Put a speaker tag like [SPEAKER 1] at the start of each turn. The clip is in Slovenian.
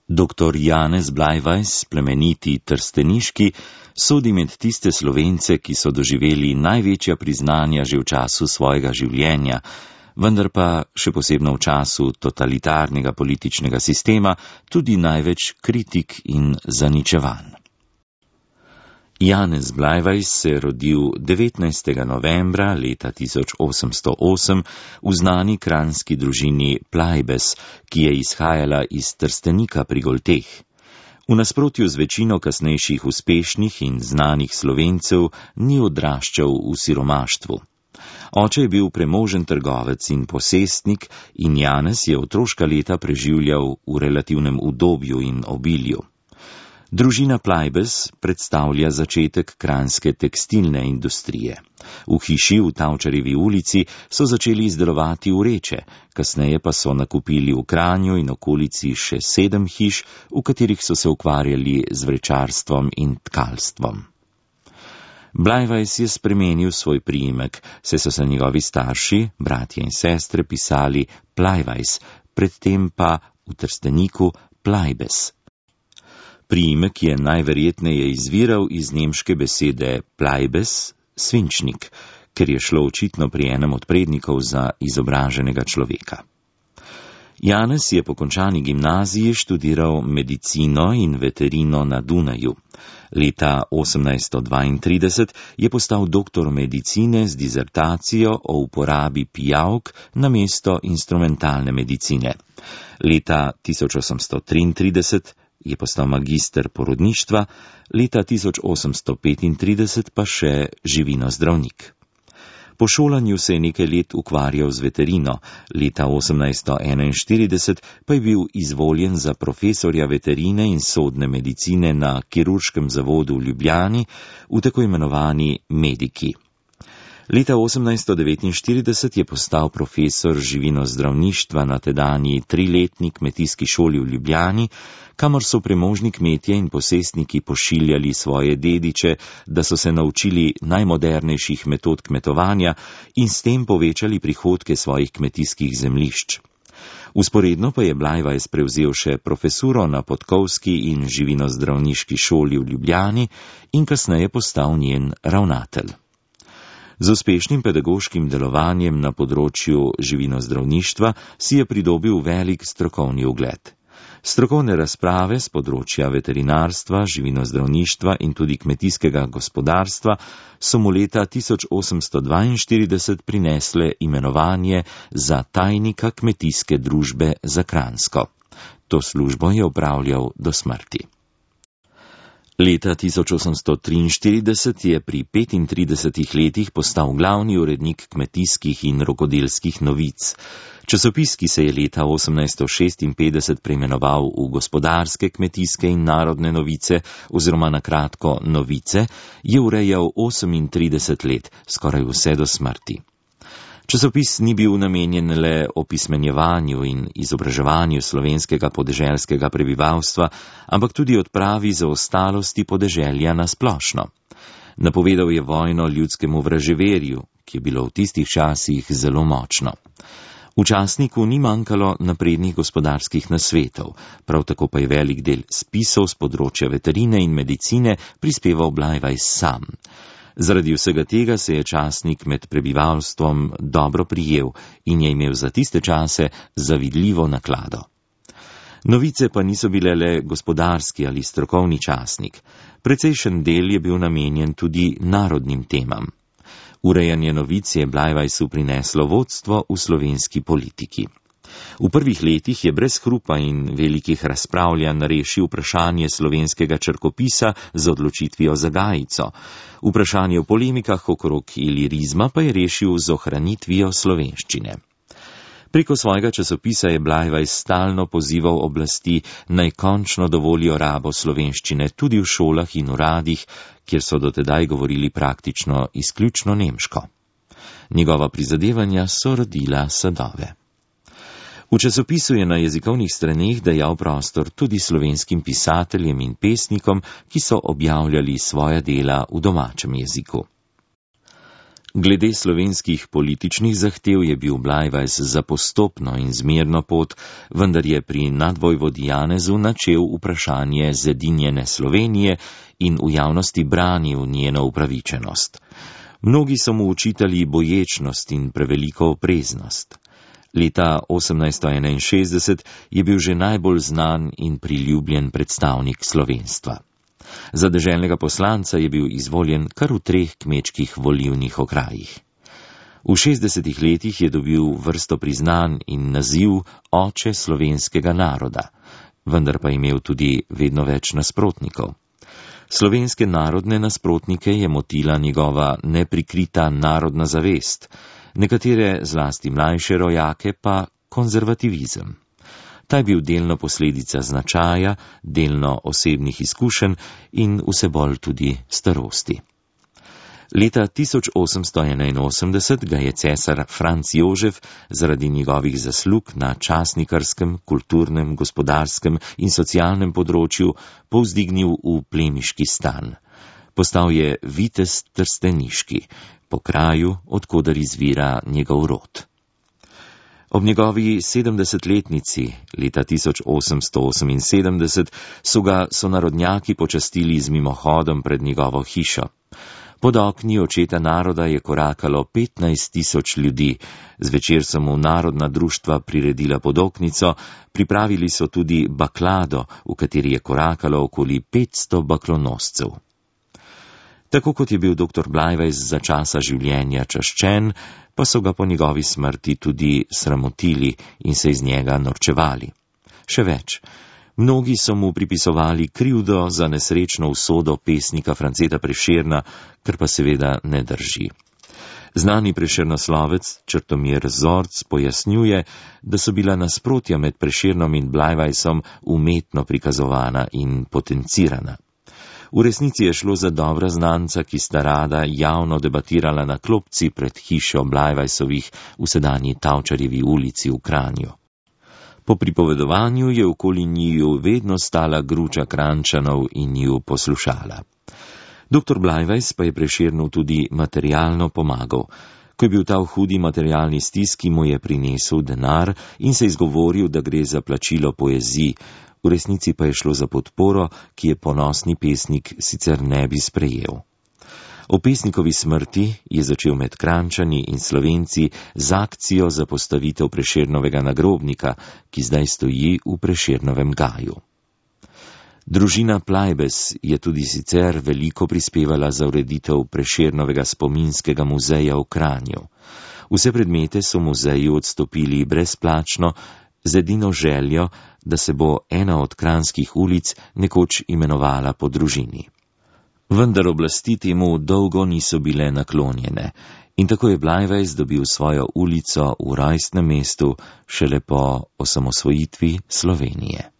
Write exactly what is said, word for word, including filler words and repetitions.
[SPEAKER 1] Doktor Janez Blajvajs, plemeniti trsteniški, sodi med tiste Slovence, ki so doživeli največja priznanja že v času svojega življenja, vendar pa še posebno v času totalitarnega političnega sistema tudi največ kritik in zaničevanj. Janez Blajvajs se je rodil devetnajstega novembra leta tisoč osemsto osem v znani kranjski družini Plajbes, ki je izhajala iz Trstenika pri Golteh. V nasprotju z večino kasnejših uspešnih in znanih Slovencev ni odraščal v siromaštvu. Oče je bil premožen trgovec in posestnik in Janez je otroška leta preživljal v relativnem udobju in obilju. Družina Plajbes predstavlja začetek kranjske tekstilne industrije. V hiši v Tavčarjevi ulici so začeli izdelovati vreče, kasneje pa so nakupili v Kranju in okolici še sedem hiš, v katerih so se ukvarjali z vrečarstvom in tkalstvom. Blajvajs je spremenil svoj priimek, saj so se njegovi starši, bratje in sestre, pisali Plajvajs, predtem pa v Trsteniku Plajbes. Priimek je najverjetneje izviral iz nemške besede Plajbes, svinčnik, ker je šlo očitno pri enem od prednikov za izobraženega človeka. Janez je po končani gimnaziji študiral medicino in veterino na Dunaju. Leta osemnajststo dvaintrideset je postal doktor medicine z dizertacijo o uporabi pijavk namesto instrumentalne medicine. Leta tisoč osemsto triintrideset je postal magister porodništva, leta tisoč osemsto petintrideset pa še živinozdravnik. Po šolanju se je nekaj let ukvarjal z veterino, leta osemnajststo enainštirideset pa je bil izvoljen za profesorja veterine in sodne medicine na kirurškem zavodu v Ljubljani, v tako imenovani Mediki. Leta osemnajststo devetinštirideset je postal profesor živinozdravništva na tedanji triletni kmetijski šoli v Ljubljani, kamor so premožni kmetje in posestniki pošiljali svoje dediče, da so se naučili najmodernejših metod kmetovanja in s tem povečali prihodke svojih kmetijskih zemljišč. Vzporedno pa je Blajvajs prevzel še profesuro na Podkovski in živinozdravniški šoli v Ljubljani in kasneje postal njen ravnatelj. Z uspešnim pedagoškim delovanjem na področju živinozdravništva si je pridobil velik strokovni ugled. Strokovne razprave z področja veterinarstva, živinozdravništva in tudi kmetijskega gospodarstva so mu leta tisoč osemsto dvainštirideset prinesle imenovanje za tajnika kmetijske družbe za Kranjsko. To službo je opravljal do smrti. Leta tisoč osemsto triinštirideset je pri petintridesetih letih postal glavni urednik kmetijskih in rokodelskih novic. Časopis, ki se je leta osemnajststo šestinpetdeset preimenoval v Gospodarske, kmetijske in narodne novice oziroma na kratko Novice, je urejal osemintrideset let, skoraj vse do smrti. Časopis ni bil namenjen le opismenjevanju in izobraževanju slovenskega podeželskega prebivalstva, ampak tudi odpravi zaostalosti podeželja na splošno. Napovedal je vojno ljudskemu vraževerju, ki je bilo v tistih časih zelo močno. V časniku ni manjkalo naprednih gospodarskih nasvetov, prav tako pa je velik del spisov z področja veterine in medicine prispeval Blajvajs sam. Zaradi vsega tega se je časnik med prebivalstvom dobro prijel in je imel za tiste čase zavidljivo naklado. Novice pa niso bile le gospodarski ali strokovni časnik. Precejšen del je bil namenjen tudi narodnim temam. Urejanje novic je Blajvajsu prineslo vodstvo v slovenski politiki. V prvih letih je brez hrupa in velikih razpravljanj rešil vprašanje slovenskega črkopisa z odločitvijo za Gajico. Vprašanje o polemikah okrog ilirizma pa je rešil z ohranitvijo slovenščine. Preko svojega časopisa je Blajvajs stalno pozival oblasti, naj končno dovolijo rabo slovenščine tudi v šolah in uradih, kjer so dotedaj govorili praktično izključno nemško. Njegova prizadevanja so rodila sadove. V časopisu je na jezikovnih straneh dajal prostor tudi slovenskim pisateljem in pesnikom, ki so objavljali svoja dela v domačem jeziku. Glede slovenskih političnih zahtev je bil Blajvajs za postopno in zmerno pot, vendar je pri nadvojvodi Janezu načel vprašanje zedinjene Slovenije in v javnosti branil njeno upravičenost. Mnogi so mu učitali boječnost in preveliko opreznost. Leta osemnajststo enainšestdeset je bil že najbolj znan in priljubljen predstavnik slovenstva. Za deželnega poslanca je bil izvoljen kar v treh kmečkih volilnih okrajih. V šestdesetih letih je dobil vrsto priznanj in naziv oče slovenskega naroda, vendar pa imel tudi vedno več nasprotnikov. Slovenske narodne nasprotnike je motila njegova neprikrita narodna zavest, nekatere zlasti mlajše rojake pa konzervativizem. Ta je bil delno posledica značaja, delno osebnih izkušenj in vse bolj tudi starosti. Leta tisoč osemsto enainosemdeset ga je cesar Franc Jožef zaradi njegovih zaslug na časnikarskem, kulturnem, gospodarskem in socialnem področju povzdignil v plemiški stan. Postal je vitez trsteniški, po kraju, od koder izvira njegov rod. Ob njegovi sedemdesetletnici, leta tisoč osemsto oseminsedemdeset, so ga sonarodnjaki počastili z mimohodom pred njegovo hišo. Pod okni očeta naroda je korakalo petnajst tisoč ljudi, zvečer so mu narodna društva priredila podoknico, pripravili so tudi baklado, v kateri je korakalo okoli petsto baklonoscev. Tako kot je bil doktor Blajvajs za časa življenja čaščen, pa so ga po njegovi smrti tudi sramotili in se iz njega norčevali. Še več, mnogi so mu pripisovali krivdo za nesrečno usodo pesnika Franceta Prešerna, kar pa seveda ne drži. Znani prešernoslovec Črtomir Zorc pojasnjuje, da so bila nasprotja med Prešernom in Blajvajsom umetno prikazovana in potencirana. V resnici je šlo za dobra znanca, ki sta rada javno debatirala na klopci pred hišo Blajvajsovih v sedanji Tavčarjevi ulici v Kranju. Po pripovedovanju je okoli njiju vedno stala gruča Krančanov in ju poslušala. Doktor Blajvajs pa je Prešernu tudi materialno pomagal. Ko je bil ta v hudi materialni stiski, mu je prinesel denar in se izgovoril, da gre za plačilo poeziji. V resnici pa je šlo za podporo, ki je ponosni pesnik sicer ne bi sprejel. O pesnikovi smrti je začel med Krančani in Slovenci z akcijo za postavitev Prešernovega nagrobnika, ki zdaj stoji v Prešernovem gaju. Družina Plajbes je tudi sicer veliko prispevala za ureditev Prešernovega spominskega muzeja v Kranju. Vse predmete so muzeju odstopili brezplačno, z edino željo, da se bo ena od kranjskih ulic nekoč imenovala po družini. Vendar oblasti temu dolgo niso bile naklonjene in tako je Blajvajs dobil svojo ulico v rojstnem mestu šele po osamosvojitvi Slovenije.